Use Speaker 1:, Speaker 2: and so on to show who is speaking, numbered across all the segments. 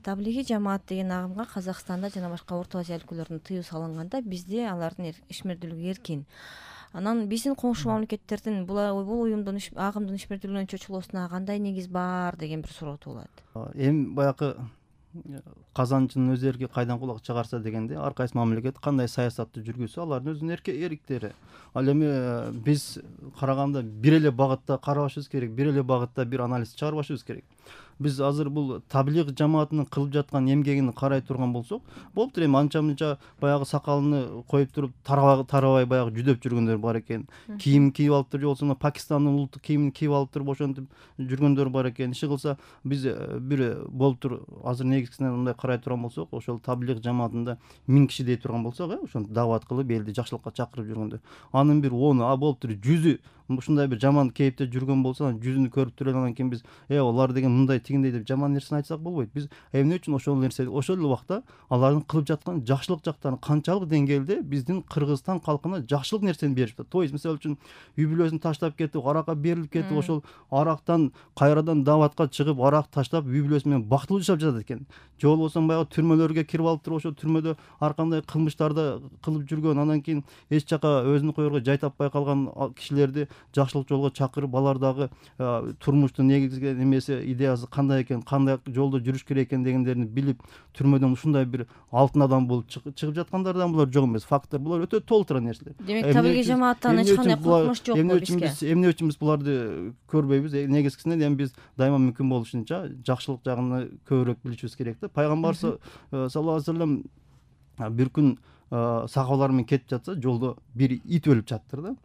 Speaker 1: Таблиги жамаат деген агымга Казакстанда жана башка Орто Азия өлкөлөрүндө тыюу салынганда бизде алардын ишмердүүлүгү эркин. Анан биздин коңшу мамлекеттердин бул уюмдун агымдын ишмердүүлүгүнөн чочулуусуна кандай негиз бар деген бир суроо туулат.
Speaker 2: Эми баягы казанчынын өз эрки кайдан кулак чыгарса дегенде, ар кайсы мамлекет кандай саясатты жүргүзсө алардын өзүнүн эриктери. Ал эми биз караганда бир эле багытта карабашыбыз керек, бир эле багытта бир анализ чыгарбашыбыз керек. Биз азыр бул таблиг жамаатынын кылып жаткан эмгегин карай турган болсок, болуптур. Эми анча-мынча баягы сакалын коюп туруп тарабай баягы жүдөп жүргөндөр бар экен. Кийим кийип алып туруп, же болбосо Пакистандын улуттук кийимин кийип алып туруп ошентип жүргөндөр бар экен. Иши кылса биз бир болуптур. Азыр негизгисинен мындай карай турган болсок, ошол таблиг жамаатында 1000 киши дей турган болсок, ошентип даават кылып элди жакшылыкка чакырып жүргөндөр. Анын бир 10 болуптур 100 ушундай бир жаман кейипте жүргөн болсо, анан жүзүнү көрүп туруп анан кийин биз алар деген мындай тигиндей деп жаман нерсени айтсак болбойт. Биз эмне үчүн ошол нерсе, ошол эле убакта алардын кылып жаткан жакшылык жактарын канчалык деңгээлде биздин Кыргызстан калкына жакшылык нерсени берип жатат. То есть мисалы үчүн үй бүлөсүн таштап кетип, аракка берилип кетип, ошол арактан кайрадан дааватка чыгып, арак таштап үй бүлөсү менен бактылуу жашап жатат экен. Же болбосо баягы түрмөлөргө кирип алып туруп, ошол түрмөдө ар кандай кылмыштарды кылып жүргөн, анан кийин эч жака өзүн коерго жай таппай калган кишилерди жакшылык жолго чакырып, алардагы турмуштун негизги немеси, идеясы кандай экен, кандай жолдо жүрүш керек экен дегендерин билип, түрмөдөн ушундай бир алтын адам болуп чыгып жаткандардан булар жок эмес. Факттар булар өтө толтура нерселер.
Speaker 1: Демек таблиги жамааттан эч кандай коркунуч жок бизге.
Speaker 2: Эмне үчүн биз буларды көрбөйбүз? Негизгисинен эми биз дайыма мүмкүн болушунча жакшылык жагын көбүрөөк билишибиз керек да. Пайгамбар саллаллаху алейхи вассалам бир күн сахабалар менен кетип жатса, жолдо бир ит өлүп жатыптыр да.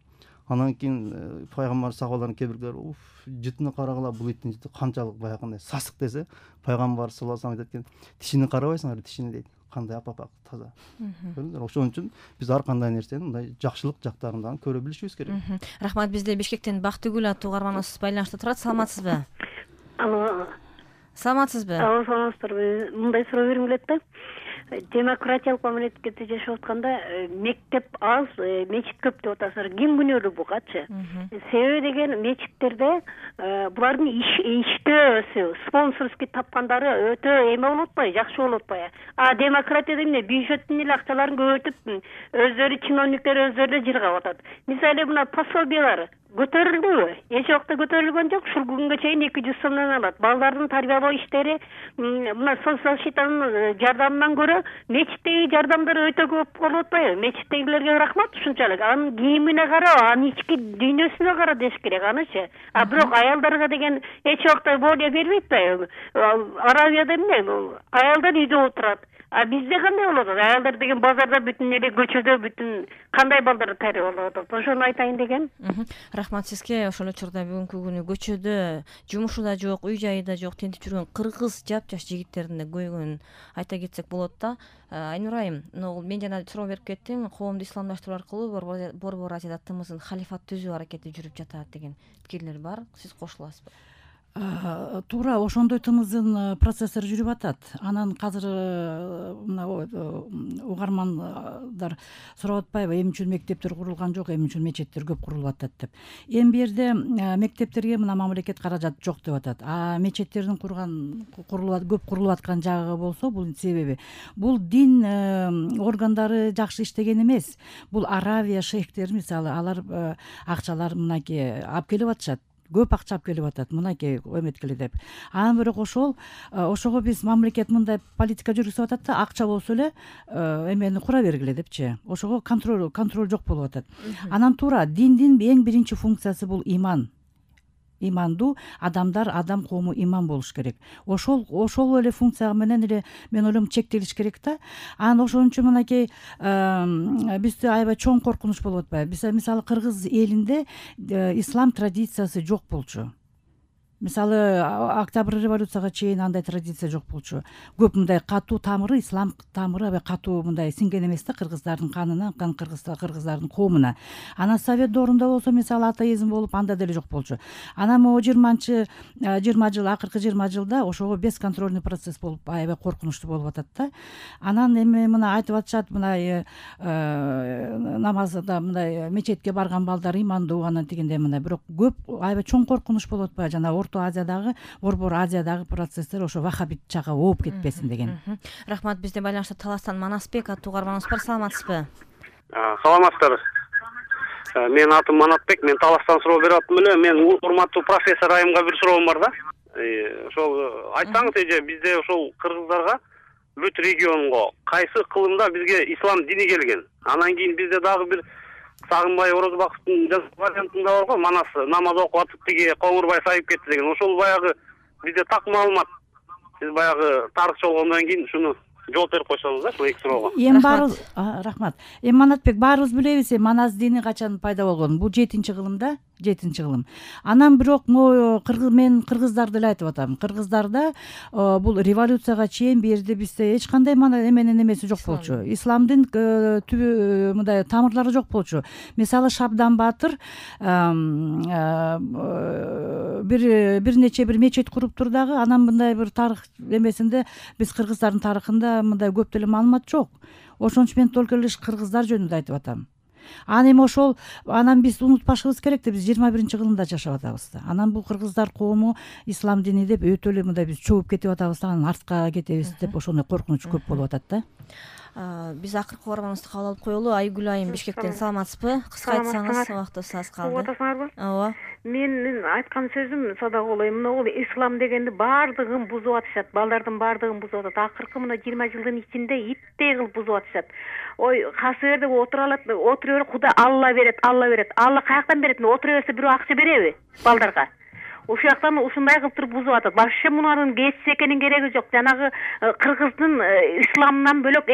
Speaker 2: Анан кийин пайгамбар сахабалардын кээ бирлери жытыны карагыла, бул иттин жыты канчалык баягындай сасык десе, пайгамбар саллаллаху алейхи вассалам айтат экен, тишини карабайсыңар, тишини дейт. Кандай апапак таза. Көрдүңөр, ошон үчүн биз ар кандай нерсени мындай жакшылык жактарын дагы көрө билишибиз керек.
Speaker 1: Рахмат. Бизде Бишкектен Бактыгүл аттуу угарманыбыз байланышта турат. Саламатсызбы?
Speaker 3: Алло.
Speaker 1: Саламатсызбы?
Speaker 3: Алло, саламатсыздарбы? Мындай суроо бергим келет да. Демократиялык мамлекетте жашап атканда мектеп аз, мечит көп деп атасыздар. Ким күнөөлүү бугачы? Себеби деген мечиттерде булардын иштөөсү, спонсорский тапкандары өтө эме болуп атпайбы, жакшы болуп атпайбы? Демократияда эмне бюджеттин эле акчаларын көбөйтүп, өздөрү чиновниктер өздөрү жыргап атат. Мисалы мына пособиялар көтөрүлдүбү? Эч убакта көтөрүлгөн жок. Ушул күнгө чейин 200 сомдон алат. Балдардын тарбиялоо иштери мына социал защитанын жардамынан көрө мечиттеги жардамдар өтө көп болуп атпайбы? Мечиттегилерге рахмат ушунчалык. Анын кийимине кара, анын ички дүйнөсүнө кара деш керек анычы. Бирок аялдарга деген эч убакта более бербейт атпайбы? Аравияда эмне? Аялдар үйдө отурат. Бизде кандай болот? Аялдар деген базарда бүтүн эле көчөдө бүтүн кандай балдар тарбиялап атат? Ошону айтайын деген.
Speaker 1: Рахмат сизге. Ошол учурда бүгүнкү күнү көчөдө, жумушу да жок, үй жайы да жок, тентип жүргөн кыргыз жапжаш жигиттердин да көйгөнүн айта кетсек болот да. Айнур айым, мен жана суроо берип кеттим. Коомду исламдаштыруу аркылуу Борбор Азияда тымыздын халифат түзүү аракети жүрүп жатат деген пикирлер бар. Сиз кошуласызбы?
Speaker 4: Туура ошондой тымыздын процесстери жүрүп атат. Анан азыр мына угармандар сурап атпайбы, эмне үчүн мектептер курулган жок, эмне үчүн мечеттер көп курулуп атат деп. Эми бу жерде мектептерге мына мамлекет каражат жок деп атат. Мечеттердин көп курулуп аткан жагы болсо, бул себеби бул дин органдары жакшы иштеген эмес. Бул Аравия шейхтери мисалы, алар акчалар мынакей алып келип атышат. Көп акча алып келип атат, мынакей эметкеле деп. Анан бирок ошого биз мамлекет мындай политика жүргүзүп атат да, акча болсо эле эмени кура бергиле депчи. Ошого контроль жок болуп атат. Анан туура диндин эң биринчи функциясы бул иман. Имандуу адам коому иман болуш керек. Ошол эле функция менен эле мен ойлойм чектелиш керек да. Анан ошон үчүн мынакей бизде аябай чоң коркунуч болуп атпайбы? Мисалы кыргыз элинде ислам традициясы жок болчу. Мисалы Октябрь революцияга чейин андай традиция жок болчу. Көп мындай катуу тамыры, ислам тамыры аябай катуу мындай сиңген эмес да кыргыздардын канына, кыргыздардын коомуна. Анан Совет доорунда болсо мисалы атеизм болуп, анда деле жок болчу. Анан могу 20 жыл, акыркы 20 жылда ошого бесконтрольный процесс болуп, аябай коркунучтуу болуп атат да. Анан эми мына айтып атышат, мына намазда мындай мечетке барган балдар имандуу, анан тигиндей мындай. Бирок көп аябай чоң коркунуч болуп атпайбы? Жана Орто Азиядагы, Борбор Азиядагы процесстер ошо вахабит жакка ооп кетпесин деген.
Speaker 1: Рахмат. Бизде байланышта Таластан Манасбек аттуу угарманыбыз бар. Саламатсызбы?
Speaker 5: Саламатсыздар. Менин атым Манатбек, мен Таластан суроо берип аттым эле. Мен урматтуу профессор айымга бир суроом бар да. Ошол айтсаңыз эже, бизде ошол кыргыздарга бүт регионго кайсы кылымда бизге ислам дини келген? Анан кийин бизде дагы бир Сагынбай Орозбаковдун вариантында бар го, Манас намаз окуп атып тиги Коңурбай сайып кетти деген. Ошол баягы бизде так маалымат. Сиз баягы тарыхчы болгондон кийин шуну жооп берип койсоңуз да, ушул эки суроого.
Speaker 4: Эми баарыбыз рахмат. Эми Манатбек, баарыбыз билебиз, Манас дини качан пайда болгонун. Бул 7-кылым да, 7-кылым. Анан бирок мен кыргыздарды эле айтып атам. Кыргыздарда бул революцияга чейин бул жерде бизде эч кандай эменин эмеси жок болчу. Исламдын түбү мындай тамырлары жок болчу. Мисалы Шабдан Баатыр бир нече бир мечет куруптур дагы. Анан мындай бир тарых эмесинде биз кыргыздардын тарыхында мындай көп деле маалымат жок. Ошон үчүн мен только лишь кыргыздар жөнүндө айтып атам. Эми ошол анан биз унутпашыбыз керек да, биз 21-кылымда жашап атабыз да. Анан бул кыргыздар коому ислам дини деп өтө эле мындай биз чөгүп кетип атабыз да, анан артка кетебиз деп ошондой коркунуч көп болуп атат да.
Speaker 1: Биз акыркы угарманыбызды кабыл алып коелу. Айгүл айым Бишкектен. Саламатсызбы? Кыска айтсаңыз, убактыбыз аз калды.
Speaker 3: Угуп атасыңарбы?
Speaker 1: Ооба.
Speaker 3: Менин айткан сөзүм садагы мына ислам дегенди баардыгын бузуп атышат. Балдардын баардыгын бузуп атат. Акыркы мына 20 жылдын ичинде иттей кылып бузуп атышат. Ой, касыберде отура берип, Кудай Алла берет. Алла каяктан берет? Отура берсе бирөө акча береби балдарга? Ошол жактан ушундай кылып туруп бузуп атат. Вообще мунун кесип экенин кереги жок. Жанагы кыргыздын исламдан бөлөк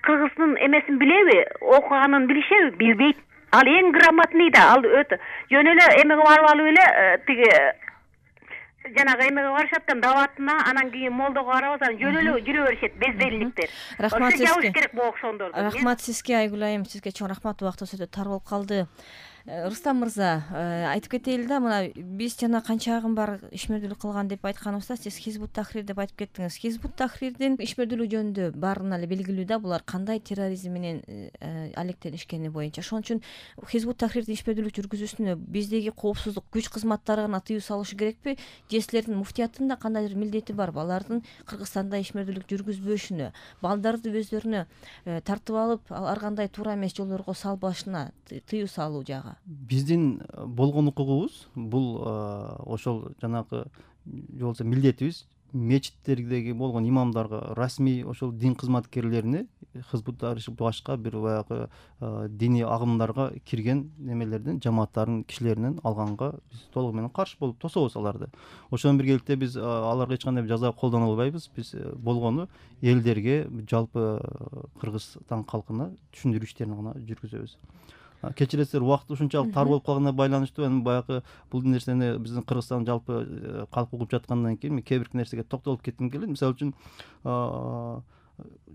Speaker 3: кыргыздын эмесин билеби? Окуганын билишеби? Билбейт. Ал эң грамотный да, ал өтө жөн эле эмеге барып алып эле тиги жанагы эмеге барышат да, даватына, анан кийин молдого карабаса жөн эле жүрө беришет безделиктер.
Speaker 1: Рахмат сизге.
Speaker 3: Жабыш керек бул окшондорду.
Speaker 1: Рахмат сизге, Айгүл айым, сизге чоң рахмат. Убактыбыз өтө тар болуп калды. Рустам мырза, айтып кетели да, мына биз жана канчагын бар ишмердүүлүк кылган деп айтканыбызда сиз Хизбут Тахрир деп айтып кеттиңиз. Хизбут Тахрирдин ишмердүүлүгү жөнүндө баарына эле белгилүү да, булар кандай терроризм менен алектенишкени боюнча. Ошон үчүн Хизбут Тахрирдин ишмердүүлүк жүргүзүүсүнө биздеги коопсуздук күч кызматтары гана тыюу салышы керекпи? Же силердин муфтияттын да кандайдыр милдети бар балардын Кыргызстанда ишмердүүлүк жүргүзбөшүнө, балдарды өздөрүнө тартып алып, ар кандай туура эмес жолдорго салбашына тыюу салуу жагы?
Speaker 2: Биздин болгон укугубуз бул ошол жанагы же болбосо милдетибиз мечиттердеги болгон имамдарга, расмий ошол дин кызматкерлерине, Хизбут Тахрир башка бир баягы диний агымдарга кирген немелерден, жамааттардын кишилеринен алганга биз толугу менен каршы болуп тособуз аларды. Ошон биргеликте биз аларга эч кандай жаза колдоно албайбыз. Биз болгону элдерге, жалпы Кыргызстан калкына түшүндүрүү иштерин гана жүргүзөбүз. Кечиресиздер, убакыт ушунчалык тар болуп калганына байланыштуу эми баягы бул нерсени биздин Кыргызстан жалпы калк угуп жаткандан кийин кээ бир нерсеге токтолуп кетким келет. Мисалы үчүн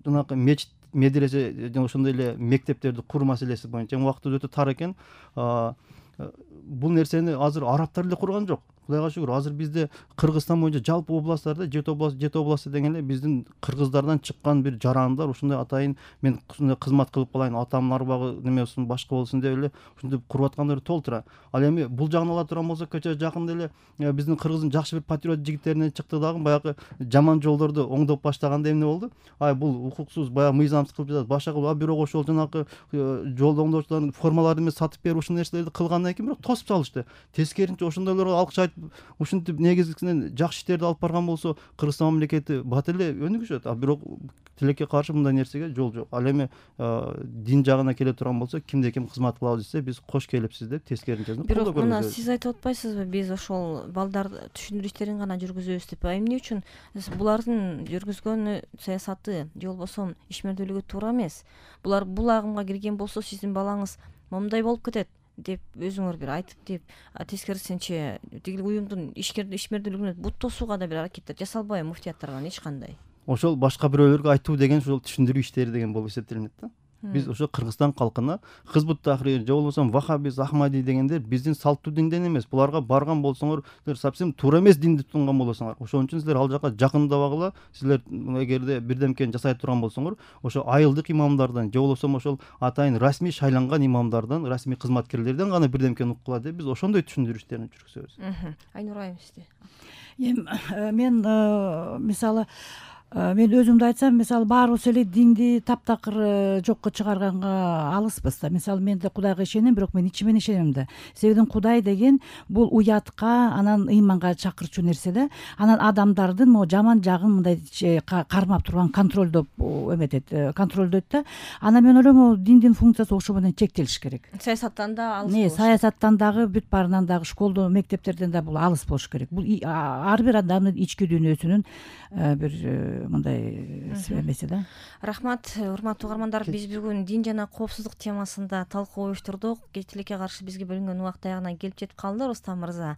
Speaker 2: жанагы мечит, медресе жана ошондой эле мектептерди куруу маселеси боюнча убакыт өтө тар экен. Бул нерсени азыр арабтар эле курган жок. Кудайга шүгүр, азыр бизде Кыргызстан боюнча жалпы областтарда, жети областы деген эле биздин кыргыздардан чыккан бир жарандар ушундай атайын мен ушундай кызмат кылып калайын, атамдын арбагы неме болсун, башка болсун деп эле ушинтип куруп аткандар толтура. Ал эми бул жагын ала турган болсок, көчө жакында эле биздин Кыргыздын жакшы бир патриот жигиттеринен чыкты дагы, баягы жаман жолдорду оңдоп баштаганда эмне болду? Бул укуксуз, баягы мыйзамсыз кылып жатат, башка кылып, бирок ошол жанагы жолду оңдоочулардын формаларын эмес сатып берип ушул нерселерди кылгандан кийин бирок тосуп салышты. Тескерисинче ошондойлорго алкыш айтып, ушинтип негизгисинен жакшы иштерди алып барган болсо, Кыргызстан мамлекети бат эле өнүгүшөт. Бирок тилекке каршы мындай нерсеге жол жок. Ал эми дин жагына келе турган болсо, кимде ким кызмат кылабыз десе, биз кош келипсиз деп тескерисинче.
Speaker 1: Бирок мына сиз айтып атпайсызбы, биз ошол балдарды түшүндүрүү иштерин гана жүргүзөбүз деп? Эмне үчүн булардын жүргүзгөн саясаты же болбосо ишмердүүлүгү туура эмес? Булар бул агымга кирген болсо, сиздин балаңыз момундай болуп кетет деп өзүңөр бир айтып деп, тескерисинче тиги уюмдун ишмердүүлүгүнө бут тосууга да бир аракеттер жасалбайбы муфтияттардан эч кандай?
Speaker 2: Ошол башка бирөөлөргө айтуу деген ошол түшүндүрүү иштери деген болуп эсептелинет да. Биз ошо Кыргызстан калкына Хызбут Тахрир же болбосо Вахабиз, Ахмади дегендер биздин салттуу динден эмес. Буларга барган болсоңор, силер совсем туура эмес динди тутунган болосуңар. Ошон үчүн силер ал жака жакындабагыла. Силер эгерде бирдемкени жасай турган болсоңор, ошо айылдык имамдардан же болбосо ошол атайын расмий шайланган имамдардан, расмий кызматкерлерден гана бирдемкени уккула деп биз ошондой түшүндүрүштөрүн жүргүзөбүз.
Speaker 1: Айнур айым сизде.
Speaker 4: Мен мисалы мен өзүмдү айтсам, мисалы баарыбыз эле динди таптакыр жокко чыгарганга алыспыз да. Мисалы мен да Кудайга ишенем, бирок мен ичимен ишенем да. Себеби Кудай деген бул уятка, анан ыйманга чакырчу нерсе да. Анан адамдардын могу жаман жагын мындай кармап турган контролдоп контролдойт да. Анан мен ойлойм, могу диндин функциясы ошо менен чектелиш керек.
Speaker 1: Саясаттан да алыс.
Speaker 4: Саясаттан дагы, бүт баарынан дагы, школдо, мектептерден да бул алыс болуш керек. Бул ар бир адамдын ички дүйнөсүнүн бир мындай эмеси да.
Speaker 1: Рахмат, урматтуу угармандар. Биз бүгүн дин жана коопсуздук темасында талкуу уюштурдук. Кечиликке каршы бизге бөлүнгөн убакыт аягына келип жетип калды. Рустам мырза,